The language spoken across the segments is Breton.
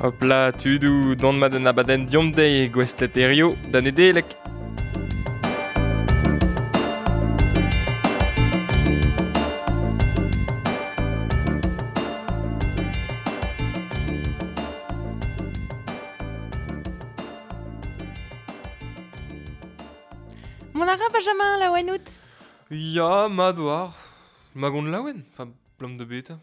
Hop là, tudoù, dont mat an abadenn diomp dezhi gouestlet hirio da Nedeleg. Mont a ra Benjamin laouen out? Ya, mat war. Magon laouen, enfin, blam de bet.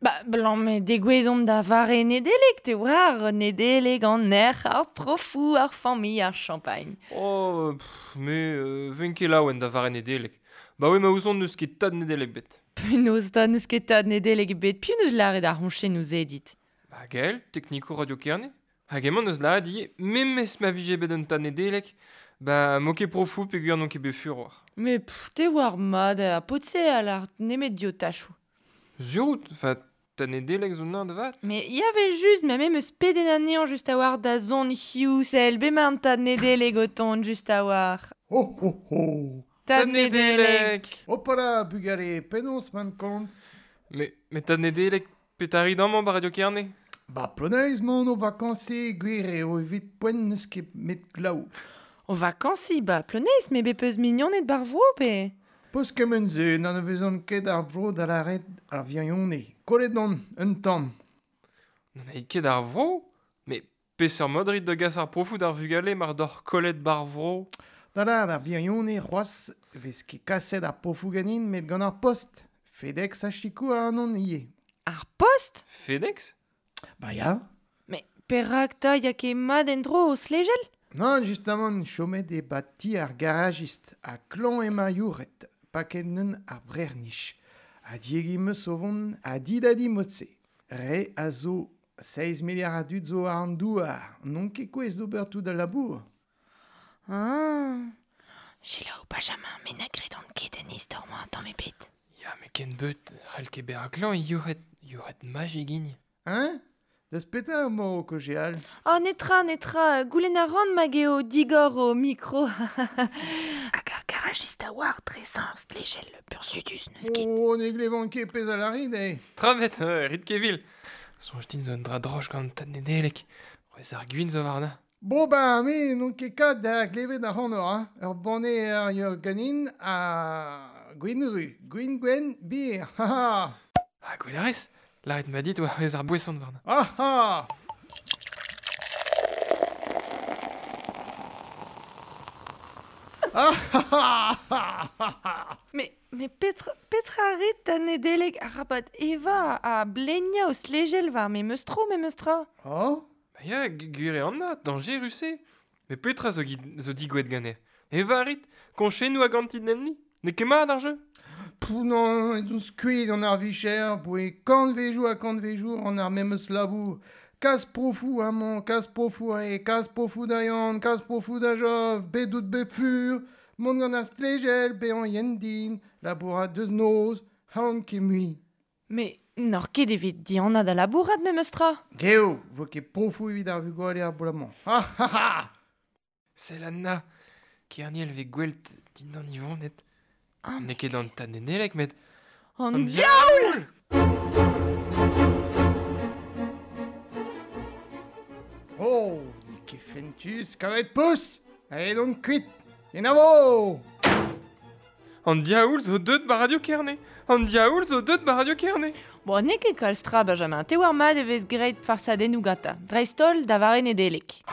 Ba, blam, degouezh omp da vare Nedeleg, te war, Nedeleg an erc'h, ar profou, ar familh, ar champagne. Oh, pff, me ven ket laouen da vare Nedeleg. Ba oe ma ouzon n'eus ket tad Nedeleg bet. Penaos ta n'eus ket tad Nedeleg bet, piv n'eus lâret ar roñchennoù se dit? Ba gael, teknikour Radio Kerne. Hag emañ n'eus lâret ivez, memes ma vije bet un tad Nedeleg, ba mo ket profou peogwir n'on ket bet fur war. Mais pff, te war mat, ar paotr-se a lâr nemet diotachoù. Sur out, enfin, tad Nedeleg zo nañ da vat. Mais y avait juste, mais même eus peden anezhañ just a war da zon hiziv, sell, bemañ an tad Nedeleg o tont just a war. Ho ho ho. Tad Nedeleg. Hopala, bugale, penaos man kont? Mais tad Nedeleg, petari amañ ba Radio Kerne? Ba Ploneis mont o vakansi, gwir eo evit poent n'eus ket met glav. O vakansi, ba Ploneis, me bet peus mignoned bar vro, pe? Peus kement-se, n'anavezan ket ar vro da lâret ar virione. Kollet on, un tamm. N'anait ket ar vro? Mais peseurt mod rit da gas ar profou d'ar vugale mar doc'h kollet bar vro? Da lâret ar virione c'hoazh vez ket kaset ar profou ganin met gant ar post. FedEx a sikour ac'hanon ivez. Ar post? FedEx? Ba ya. Mais perak 'ta ya ket mat en-dro o stlejel? Nann, justamant, chomet eo ba ti ar garajist ha klañv emañ youret, paket neun ar brec'h-nij. Ha diegi 'm eus o vont a di da di mod-se. Re a zo 6 miliard a dud zo war an douar, n'on ket gouest d'ober tout al labour. Ah. Selaou, Benjamin, me na gredan ket en istor-mañ tamm ebet. Ya, met ken beut, c'hall ket bezañ klañv youc'het, youc'het magic hini. Hein? Deus petra emañ o kaozeal? Oh, netra, netra, goulenn a ran mag eo digor ho mikro. Hag ar garajist a oar dresañ ur stlejel burzhudus n'eus ket. Oh, ne glevan ket pezh a lârit eo. Travet, rit ket vil. Soñj din zo un dra droch gant tad Nedeleg. C'hwezh ar gwin zo warnañ. Bon ben, me n'on ket kat da glevet ac'hanoc'h, hein. Ur banne ar ur ganin ha gwin ru, gwin gwenn, bir, ha ha. Ha gwell a rez, lâret ma dit oa c'hwezh ar boeson warnañ. Ah ah. Ah ah ah ah ah. Mais petra rit da Nedeleg arabat evañ ha bleniañ o stlejel war memes tro, memes tra? Oh? Ba ya, gwir eo anat, dañjerus eo. Mais petra zo, zo digouet ganeoc'h? Evañ a rit, koñchennoù a gantit enni? N'eo ket mat ar jeu? Pouh non, edon skuizh gant ar vicher, boe kantvejoù ha kantvejoù an ar memes labour. Kas profoù amañ, kas profoù aze, kas profoù da Yann, kas profoù da Jof, bet out bet fur, mont gant ar stlejel, bezañ yen din, labourat deus noz, c'han ket mui. Mais n'oc'h ket evit dihanañ da labourat memes tra? Geo, vo ket profoù evit ar vugale ar bloaz-mañ. Ha ha ha! Sell Anna, Kerniel vez gwel't dindan Yvonnet. N'eo ket an tad Nedeleg, met An an diaoul! Oh, n'eo ket fentus kavet pous! Aet on kuit! Kenavo! An diaoul zo deut ba Radio Kerne! An diaoul zo deut ba Radio Kerne! Bon, n'eo ket kalz tra, Benjamin. Te war mat e vez graet farsadennoù gantañ. Dreist-holl da vare Nedeleg.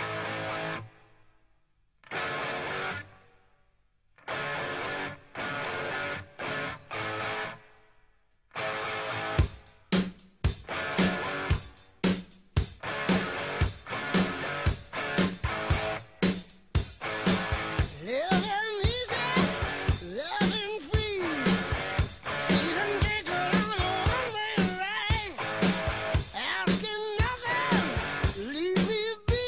Living easy, living free. Season ticket on a one-way ride. Asking nothing, leave me be.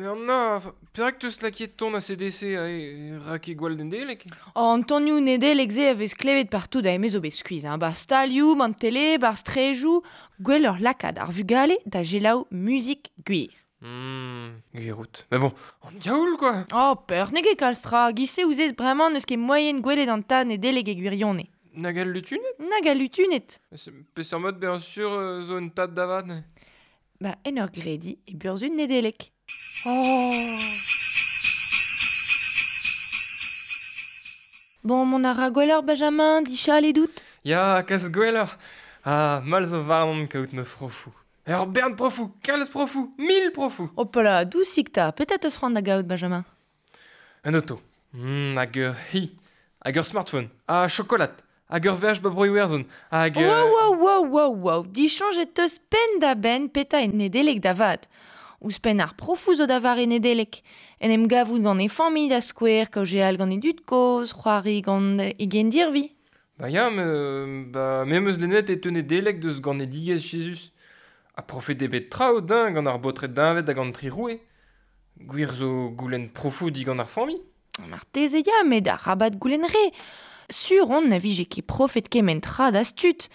Anna, perak teus laket ton ACDC ae ra ket gwall Nedeleg? Oh, an tonioù Nedeleg se a vez klevet partout da eme zo bet skuizh, hein. Bar stalioù, man tele, bar strejoù, gwelloc'h lakaat ar vugale da gelaou muzik gwir. Gwir out. Mais bon, an diaoul quoi. Oh, peur n'eo ket kalz tra, giz-se ouzez bremañ n'eus ket moaien gwelet an tad Nedeleg e gwirionez. Nag al lutunet? Nag al lutunet. Peseurt mod bien sûr zo un tad da vat. Ba, en ur gredi e burzhud Nedeleg. Oh. Bon, mon a ra gwelloc'h, Benjamin, dichal e dout. Ya, kas gwelloc'h. Ah, mal zo warnon kaout ma frofou. Ur bern profou, kalz profou, 1000 profou. Hopala, dousik ta, petra teus c'hoant da gaout, Benjamin? Un auto. Hag ur hi. Hag ur smartphone. Ha chokolat. Hag ur veaj ba bro Iwerzhon. Hag... Wow, wow, wow, wow, dichoñjet teus penn da benn petra e Nedeleg da vat. Ouzhpenn ar profou zo da vare Nedeleg. En em gavout gant e familh da skouer, kaozeal gant e dud kozh, c'hoari gant e gendirvi. Ba ya, ba, me 'm eus lennet e teu Nedeleg deus ganedigezh Jezuz. Ha profet eo bet traoù din gant ar baotred deñved hag an tri roue. Gwir zo goulenn profou digant ar familh. Marteze ya, met arabat goulenn re. Sur on na vije ket profet kement tra da stud.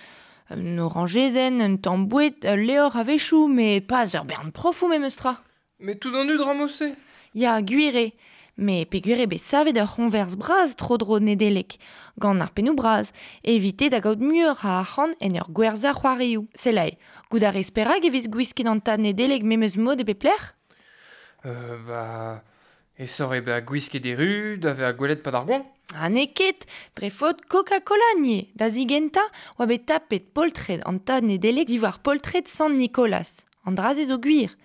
Un orangezenn, un tamm boued, ul levr a-wechoù, met pas ur bern profou memes tra. Mais tout an dud ramose. Ya, gwir eo. Mais peogwir eo bet savet ur c'hoñvers bras tro-dro Nedeleg, gant ar pennoù bras, evite da gaout muioc'h a arc'hant en ur gwerzhañ c'hoarioù. Selae, goût a rez perak e vez gwisket an tad Nedeleg memes mod e pep lec'h? Ba... Esoc'h eo bezañ gwisket e ru, da vezañ gwelet pad ar goañv. Ha n'eo ket, dre faot Coca-Cola nie. Da zigentañ, oa bet tapet poltred an tad Nedeleg diwar poltred Sant Nicolas. An dra-se zo gwir.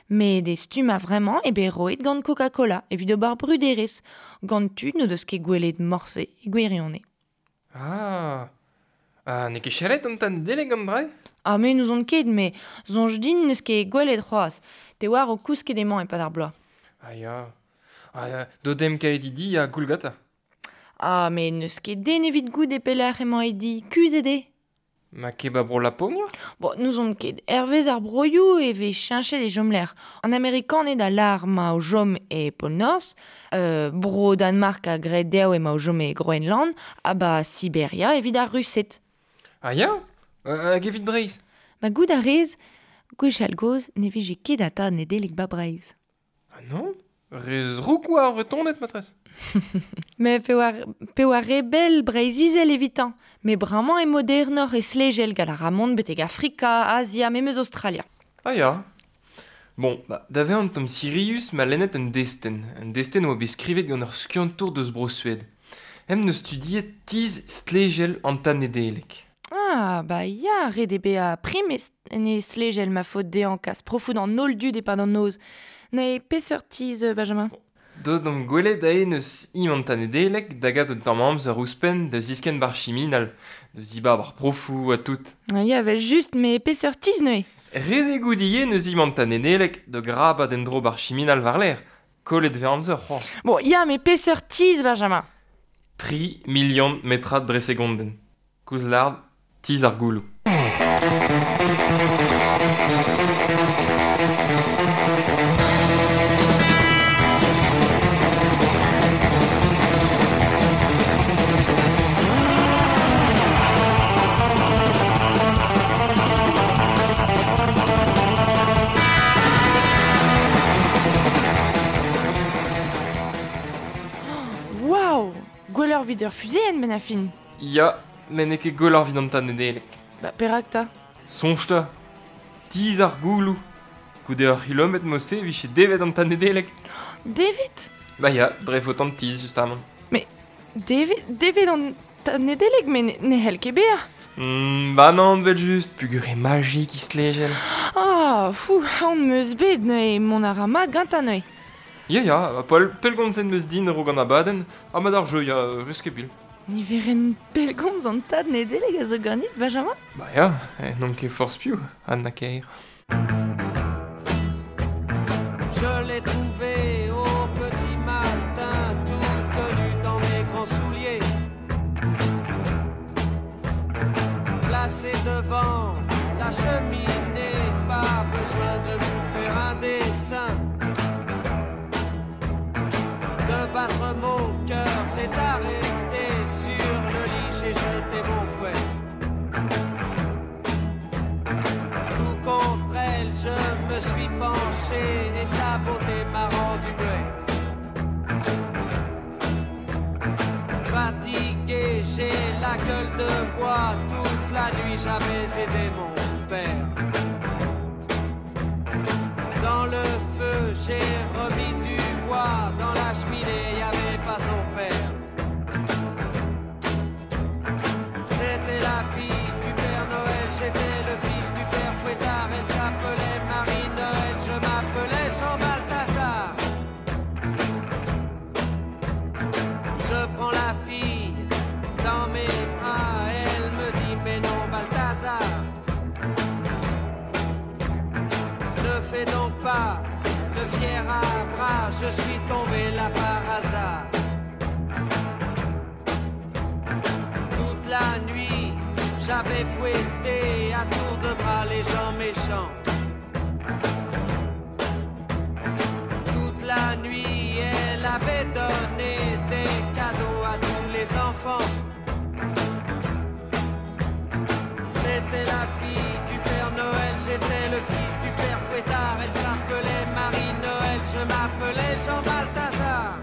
Met e stumm a-vremañ eo bet roet gant Coca-Cola evit ober bruderezh, gant tud n'o deus ket gwelet morse e gwirionez. Ah, ha n'eo ket chalet an tad Nedeleg an dra-se? Ah, me n'ouzon ket, met soñj din n'eus ket gwelet c'hoazh. Te oar o kousket emañ e-pad ar bloaz. Ah ya, ah, dodem kae di ha goulgata. Ah, met n'eus ket den evit goût e pelec'h emañ e di, kuzhet eo. Ma ket ba bro Laponia? Bon, n'ouzon ket. Hervez ar broioù e vez cheñchet e chomlec'h. An Amerikaned a lâr ma o chom e Pol Norzh, bro Danmark a gred dezho emañ o chom e Groenland, ha ba Siberia evit ar Rused. Ah ya? Hag evit Breizh? Ma goût a rez, gwechall gozh ne vije ket ata Nedeleg ba Breizh. Ah non? Re zrouk oa ar Vretoned, matresse. Mais pe oa re bell Breizh-Izel evitañ. Met bremañ eo modernoc'h e slegel gant ar ramont betek Afrika, Azia, memes Australia. Ah ya. Bon, ba, da vezañ un tamm sirius ma lennet un destenn. Un destenn oa bet skrivet gant ur skiantour deus Bro-Sued. Em neus studiet tizh stlejel an tad Nedeleg. Ah, ba ya, ret eo bezañ prim en e slegel ma faot dezhañ kas profoù d'an holl dud e-pad an noz. Neuze peseurt tizh, Benjamin? Deuet omp gwelet aze n'eus im an tad Nedeleg da gat un tamm amzer ouzhpenn da ziskenn bar chiminal, da zibab ar profoù ha tout. Ah ya, vel just, met peseurt tizh neuze? Ret eo goût ivez n'eus im an tad Nedeleg da grabat en-dro bar chiminal war-lerc'h, kollet vez amzer c'hoazh. Bon, ya, met peseurt tizh, Benjamin? 3 million metrad dre segondenn. Koulz lard, tizh ar gouloù. Waouh! Gwelloc'h evit ur fuzeenn, benn ar fin. Ya, met n'eo ket gwelloc'h evit an tad Nedeleg. Ba, perak 'ta? Soñj 'ta. Tizh ar gouloù. Goude ur c'hilometr mod-se e vije devet an tad Nedeleg. Devet? Ba ya, dre faot an tizh, justamant. Mais devet an tad Nedeleg, met ne c'hell ket bezañ. Ba nann, vel just, peogwir eo majik e stlejel. Ah, fou, aon 'm eus bet neuze, mont a ra mat gantañ neuze. Ya, ya, ha Paul, pellgomzet 'm eus din a-raok an abadenn, ha mat ar jeu, ya, rez ket bil. Niverenn pellgomz an tad Nedeleg a zo ganit, Benjamin? Ba ya, n'on ket forzh piv, Anna Kaer. Je l'ai trouvée au petit matin, toute nue dans mes grands souliers. Placée devant la cheminée, pas besoin de vous faire un dessin. s'est arrêtée sur le lit, j'ai jeté mon fouet. Tout contre elle, je me suis penché et sa beauté m'a rendu muet. Fatigué, j'ai la gueule de bois, toute la nuit j'avais aidé mon père. Dans le feu, j'ai remis du bois, dans la cheminée, y avait pas son père. C'était la fille du Père Noël, j'étais le fils du Père Fouettard. Elle s'appelait Marie Noël, je m'appelais Jean Balthazar. Je prends la fille dans mes bras, elle me dit mais non Balthazar, ne fais donc pas le fier à bras, je suis tombé là par hasard. Toute la nuit, j'avais fouetté à tour de bras les gens méchants. Toute la nuit, elle avait donné des cadeaux à tous les enfants. C'était la fille du Père Noël, j'étais le fils du Père Fouettard. Elle s'appelait Marie Noël, je m'appelais Jean Balthazar.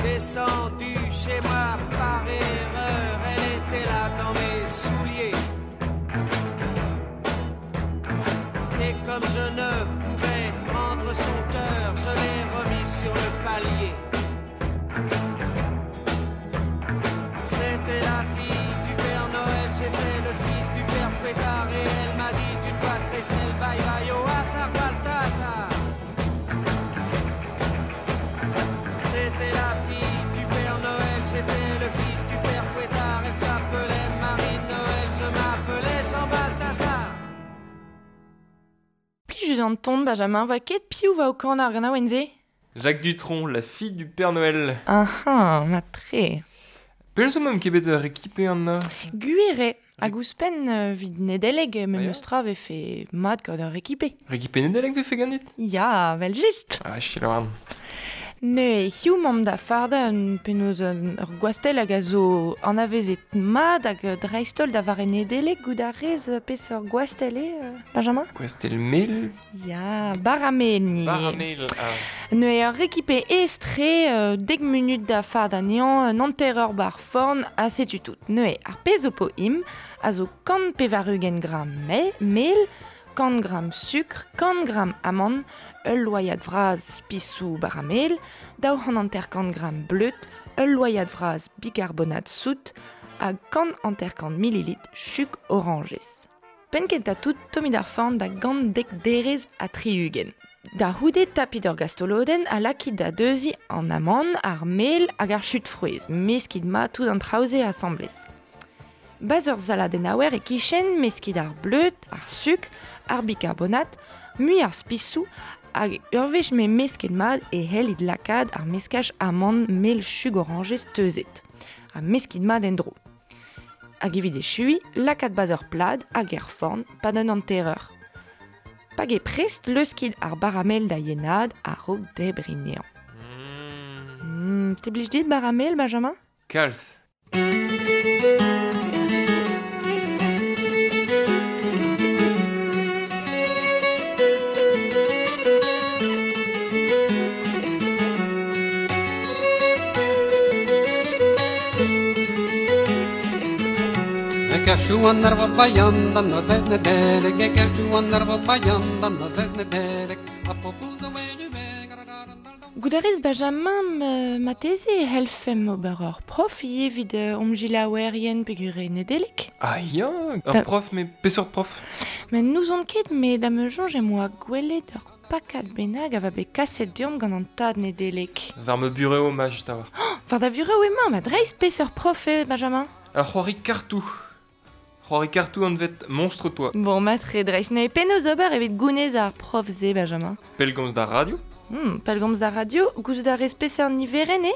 Descendu chez moi par erreur, elle était là dans mes souliers. Et comme je ne pouvais prendre son cœur, je l'ai remis sur le palier. C'était la fille du Père Noël, j'étais le fils du Père Fouettard. Et elle m'a dit d'une voix très belle, bye bye au hasard Balthazar. C'était la fille du Père Noël, j'étais le fils du Père Fouettard. Elle s'appelait Marie Noël, je m'appelais Jean Balthazar. Plijus an ton, Benjamin, va ket piou va o kan ar gant awenze? Jacques Dutronc, la fille du Père Noël. Ah ah, ma tre. Pel zo mem ket bet ar rekipe an na? Gwir hag ouzhpenn vid Nedeleg me Ah ya? meus tra vefe mat gant ar rekipe. Rekipe Nedeleg vefe ganit? Ya, vel just. Ah, chilaouarn. Ne hiu mamm da farda un penaos un ur gwastell hag a zo anavezet mat hag dreistol da vare Nedeleg gout ar rez peseurt gwastell eo, Benjamin? Gwastell mel? Ya, baramel ni. Baramel, ah. Ne ur rekipe estre dek munut da farda nean un hanter ur bar forn a setu tout. Ne ar pezh o po im a zo kant pevar-ugent gram mel, kant gram sukr, kant gram amand, ul loiad vraz spisou baramel, daou c'hant hanter-kant gram bleud, ul loiad vraz bicarbonate sout, hag kant hanter-kant millilitre chuk oranjez. Penn kentañ tout tommit ar forn da gant dek derez ha tri-ugent. Da c'houde tapit ur gastolodenn a lakit da deuzi an amand, ar mel hag ar chut frouezh, meskit ma tout an traoù-se asambles. Baz ur saladenn aouer e kichen, meskit ar bleud, ar sukr, ar bicarbonate, mui ar spisou, hag ur wech me mesket mat e hellit lakaat ar meskaj amand mel chug oranjez teuzet. Ha meskit mat en-dro. Hag evit echui, lakaat baz ur plad hag er forn pad un hanter-eur. Pag e prest leuskit ar baramel da yenad a-raok debr nean. Te blij dit baramel, Benjamin? Kalz. Kerchou an arvo bayan dan nos vez Nedeleg, e kerchou an arvo bayan dan nos vez Nedeleg, a profou zo Gout a rez Benjamin mateze e helfem ober ur prof evit omgilaouerien peogwir eo Nedeleg. Ah ya, ur prof, mais peseurt prof? Men n'ouzon ket, met da me soñj em boa gwelet ur pakad bennak a va bet kaset deomp gant an tad Nedeleg. War me bureau ma just a war. Oh, war da bureau emañ, ma dreist peseurt prof eo, Benjamin? Ar c'hoari kartou. C'hoari kartou anvet Monstre-toi. Bon, matre dreist, ne penaos ober evit gounez ar prof-se, Benjamin? Pellgomz d'ar radio? Pellgomz d'ar radio, gouzout a rez peseurt niverenn eo?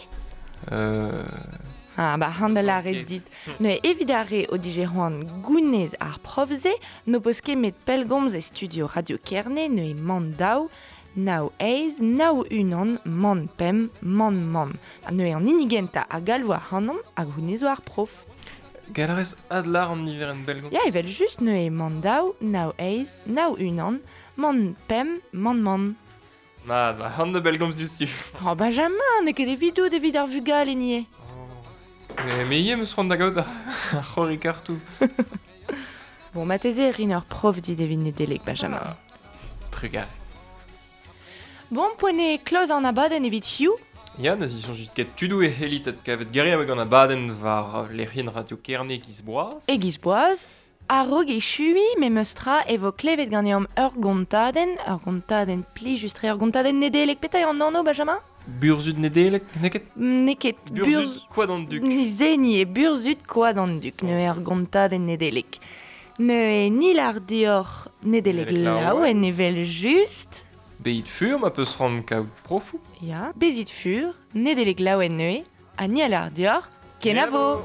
Ah, ba, handel a ret dit. Ne evit ar re o dije c'hoant gounez ar prof-se, n'o peus ket met pellgomz e studio Radio Kerne, ne e man daou, Nao eiz, nao unan, man pem, man man. Ha neuze an hini gentañ a galvo ac'hanomp hag hounnezh zo ar prof. Gall a rez adlar an niverenn bellgomz. Ya, evel just neuze man daou, nao eiz, nao unan, man pem, man man. Mat, va c'hant da bellgomz diouzhtu. Oh, Benjamin, n'eo ket evidout evit ar vugale nie. Oh. Me ivez 'm eus c'hoant da gaout ar c'horri kartoù. Bon, marteze e rin ur prof dit evit Nedeleg, Benjamin. Ah. Trugarez. Bon, poent eo kloz an abadenn evit hiziv. Ya, na zisoñjit ket tudoù e c'hellit adkavet geriaoueg an abadenn war lec'hienn Radio Kerne giz boaz. E giz boaz, a-raok echuiñ memes tra e vo klevet ganeomp ur gontadenn, ur gontadenn plijus-tre, ur gontadenn Nedeleg. Petra eo an anv, Benjamin? Burzhud Nedeleg, n'eo ket? N'eo ket. Burzhud Koad an Duk. Se ni eo burzhud Koad an Duk, neuze ur gontadenn Nedeleg. Neuze ni lar deoc'h Nedeleg laouen evel just. Bezit fur ma peus c'hoant kaout profoù. Ya, bezit fur, Nedeleg laouen neuze, ha ni a lar deoc'h, kenavo!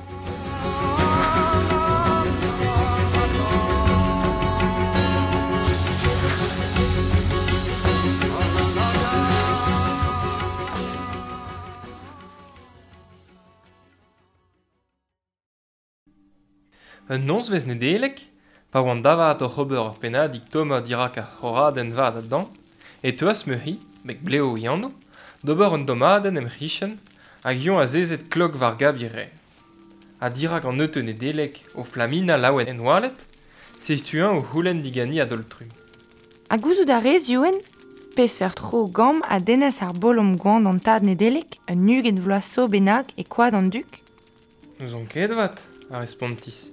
Un nozvezh Nedeleg, pa oan davat oc'h ober ur pennadig tommañ dirak ar c'horadenn vat a-dan, e teuas ma c'hi, mek blev e anv, d'ober un dommadenn em c'hichen hag eñ azezet klok war gav e re. Ha dirak an neuteu Nedeleg o flaminañ laouen en oaled, setu-eñ o c'houlenn diganiñ a-daol-trumm. Ha gouzout a rez, Youenn, peseurt tro gamm a dennas ar bolom goan d'an tad Nedeleg, un 20 vloaz zo bennak e Koad an Duk? N'ouzon ket avat, a respontis.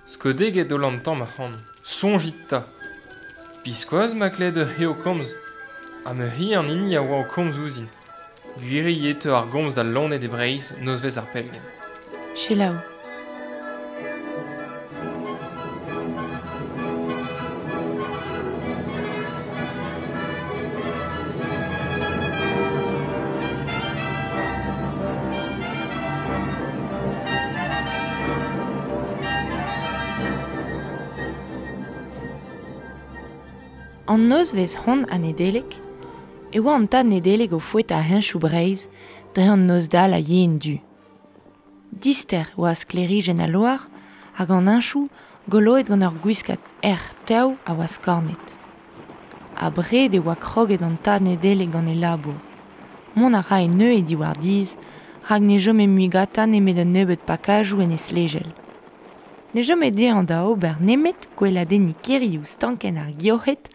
Skodeget holl an tamm ac'hann. Soñjit 'ta. Biskoazh ma klevet ur c'hi o komz. Ha ma c'hi an hini a oa o komz ouzhin. Gwir eo e teu ar gomz da loened e Breizh nozvezh ar pellgent. Selaou. An nozvezh hont a Nedeleg, e oa an tad Nedeleg o foetañ heñchoù Breizh dre an noz-dall a yen du. Dister oa sklêrijenn al loar hag an heñchoù goloet gant ur gwiskad erc'h tev a oa skornet. Abred e oa kroget an tad Nedeleg gant e labour. Mont a rae neuze diwar dizh, rak ne chome mui gantañ nemet un nebeud pakajoù en e stlejel. Ne chome dezhañ da ober nemet gweladenniñ kêrioù stankenn ar gioc'hed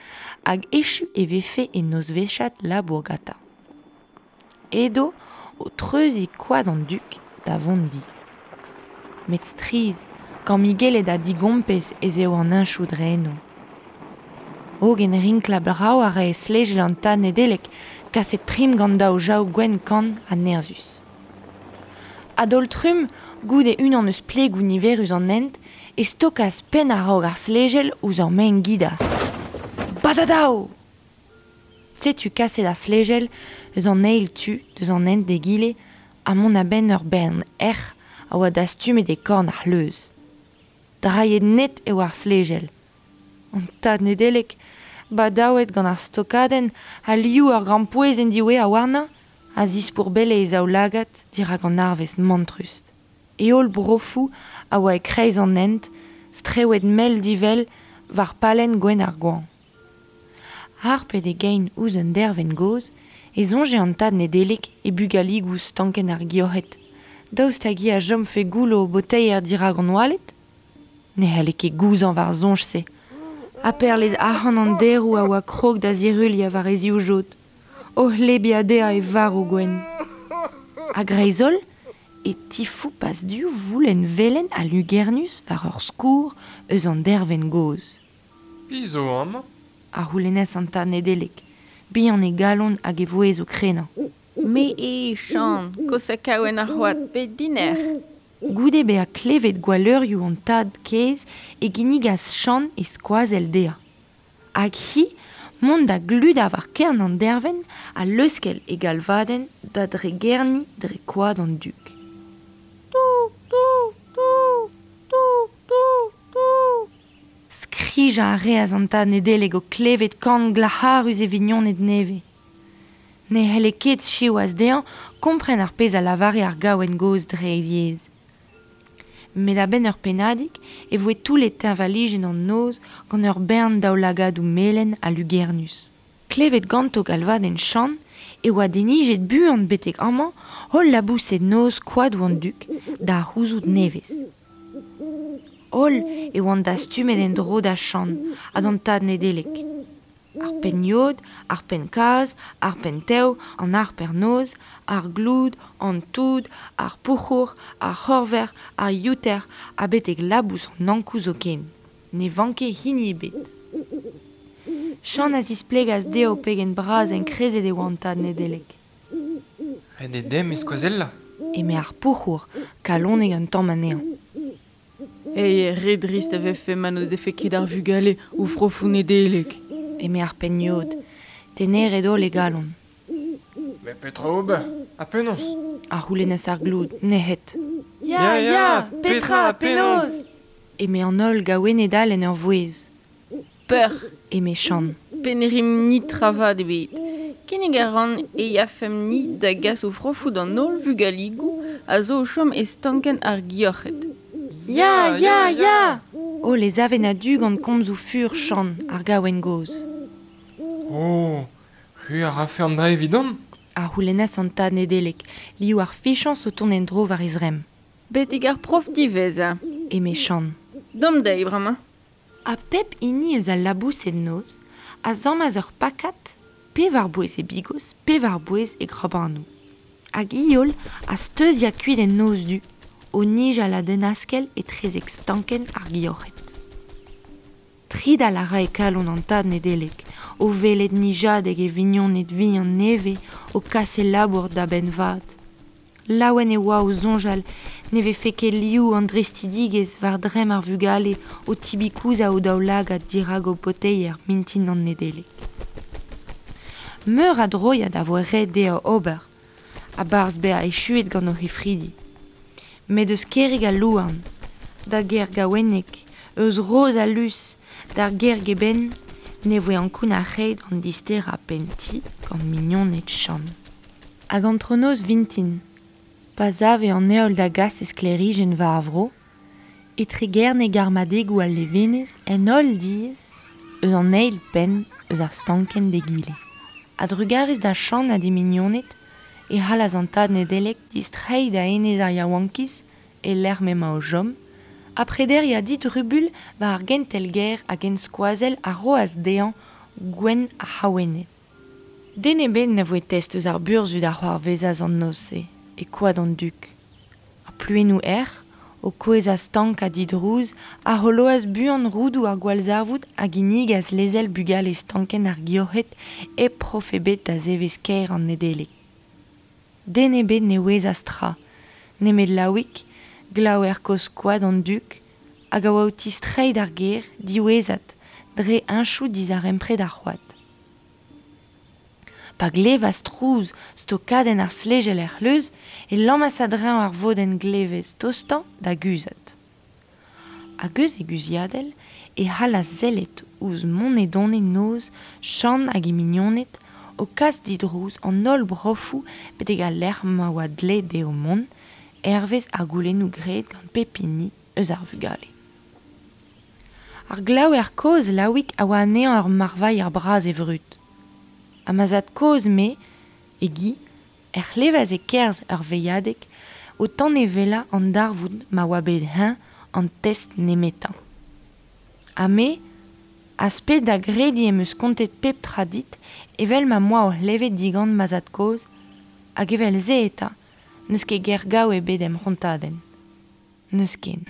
hag echu e vefe e nozvezhiad labour gantañ. Edo o treuziñ Koad an Duk da vont di. Met strizh, kammigellet ha digompez ez eo an heñchoù dre eno. Hogen rinklañ brav a rae stlejel an tad Nedeleg, kaset prim gant daou jav gwenn kann ha nerzhus. A-daol-trumm, goude unan eus plegoù niverus an hent, e stokas penn a-raok ar stlejel ouzh ur maen-gidas. Badadaou! Setu kaset ar stlejel eus an eil tu deus an hent d'egile ha mont a-benn ur bern erc'h a oa dastumet e korn ar c'hleuz. Drailhet net eo ar stlejel. An tad Nedeleg, badaouet gant ar stokadenn ha liv ur grampouezhenn diwezhañ warnañ, a zispourbelle e zaoulagad dirak an arvest mantrus. E holl brofoù a oa e-kreiz an hent, strewet mell divell war palenn gwenn ar goañv. Harpet e gein ouzh un dervenn gozh, e soñje an tad Nedeleg e bugaligoù stankenn ar gioc'hed. Daoust hag hi a chomfe goullo o boteier dirak an oaled? Ne c'halle ket gouzañv ar soñj-se. Ha perlez arc'hant an deroù a oa krog da ziruilhañ war e zivjod. O c'hlebiañ dezhañ e varv gwenn. A-greiz-holl e tifoupas div voulenn velen ha lugernus war ur skourr eus an dervenn gozh. Piv zo amañ? A c'houlennas an tad Nedeleg, bihan e galon hag e vouezh o krenañ. Me eo, Chan, kosa kaouen ar c'hoad, bet dinec'h. Goude bezañ klevet gwalleurioù an tad kaezh e ginnigas Chan e skoazell dezhañ. Hag hi mont da gludañ war kern an dervenn ha leuskel e galvadenn da dregerniñ dre koad an Duk. Tou, tou, tou, tou, tou, tou. Kijañ a reas an tad Nedeleg o klevet kan glac'harus e vignoned nevez. Ne c'helle ket siwazh dezhañ kompren ar pezh a lavare ar gaouenn gozh dre e yezh. Met a-benn ur pennadig e voe toullet teñvalijenn an noz gant ur bern daoulagadoù melen ha lugernus. Klevet ganto galvadenn Chann e oa denijet buan betek amañ holl laboused noz koadoù an Dug da c'houzout nevez. Holl e oant dastumet en-dro da Chann ha d'an tad Nedeleg. Ar penn-yod, ar penn-kazh, ar penn-tev, an harper-noz, ar gloud, an toud, ar pouc'hour, ar c'horver, ar youter ha betek labous an Ankou zoken. Ne vanke hini ebet. Chann a zisplegas dezho pegen bras enkrezet e oa an tad Nedeleg. Ret eo dimp e skoazellañ. Eme ar pouc'hour, kalonek un tamm anezhañ. Ey, re drist a vefe ma n'o defe ket ar vugale o frofoù Nedeleg. Eme ar penn-yod, teneret holl e galon. Met petra ober? Ha penaos? A c'houlennas ar gloud, nec'het. Ya, ya, petra, penaos? Eme an holl gaouenned all en ur vouezh. Peur. Eme Chann. Pe ne rimp ni tra vat ebet. Kinnig a ran e yafemp-ni da gas o frofoù d'an holl vugaligoù a zo o chom e stankenn ar gioc'hed. Ya, ya, ya! Holl ez aven a-du gant komzoù fur Chann, ar gaouenn gozh. Oh, c'hwi a rafe an dra evidon? A c'houlennas an tad Nedeleg, liv ar fichañs o tont en-dro war e zremm. Betek ar prof diwezhañ. Eme Chann. Dom dezhi bremañ. Ha pep hini eus al laboused noz a zammas ur pakad, pe war-bouez e bigos, pe war-bouez e grabanoù. Hag i holl a steuziañ kuit en noz du, o nijal a-denn-askell etrezek stankenn ar gioc'hed. Tridal a rae kalon an tad Nedeleg, o welet nijadeg e vignoned vihan nevez o kas e labour da benn vat. Laouen e oa o soñjal ne vefe ket liv an drestidigezh war dremm ar vugale o tibikouzañ o daoulagad dirak o poteier mintin an Nedeleg. Meur a droiad a voe ret dezho ober, a-barzh bezañ echuet gant o c'hefridi. Met eus Kerig al Louarn, da gêr Gaouenneg, eus Roz al Lus, d'ar gêr Geben, ne voe ankounac'haet an disterañ penn-ti gant mignoned Chann. Hag antronoz vintin, pa save an heol da gas e sklêrijenn war ar vro, e tregerne garmadegoù al levenez en holl diez eus an eil penn eus ar stankenn d'egile. A-drugarez da Chann ha d'e mignoned e c'hallas an tad Nedeleg distreiñ da enez ar yaouankiz e-lec'h m'emañ o chom, ha prederiañ didrubuilh war ar gentel-gêr hag enskoazell a roas dezhañ Gwenn ar C'haouenned. Den ebet na voe test eus ar burzhud a c'hoarvezas an noz-se e koad an Dug. Ar pluennoù erc'h, o kouezhañ stank ha didrouz, a c'holoas buan roudoù ar gwallzarvoud a ginnigas lezel bugale stankenn ar gioc'hed hep prof ebet da zevezh kaer an Nedeleg. Den ebet ne ouezas tra, nemet Laouig, glaouer kozh koad an Dug, hag a oa o tistreiñ d'ar gêr diwezhat dre heñchoù dizarempred ar c'hoad. Pa glevas trouz stokadenn ar stlejel er c'hleuz e lammas a-dreñv ar vodenn glevez tostañ da guzhat. Hag eus e guzhiadell e c'hallas sellet ouzh monedone noz Chann hag e mignoned o kas didrouz an holl brofoù betek al lec'h ma oa dleet dezho mont, hervez ar goulennoù graet gant pep hini eus ar vugale. Ar glaouer kozh Laouig a oa anezhañ ur marvailher bras e vrud. Ha ma zad-kozh-me, e gi, er c'hlevas e-kerzh ur veilhadeg o tanevellañ an darvoud ma oa bet eñ an test nemetañ. Ha me, az ped da grediñ em eus kontet pep tra dit evel ma 'm boa o c'hlevet digant ma zad-kozh, hag evel-se eta n'eus ket ger gaou ebet em c'hontadenn. N'eus ken.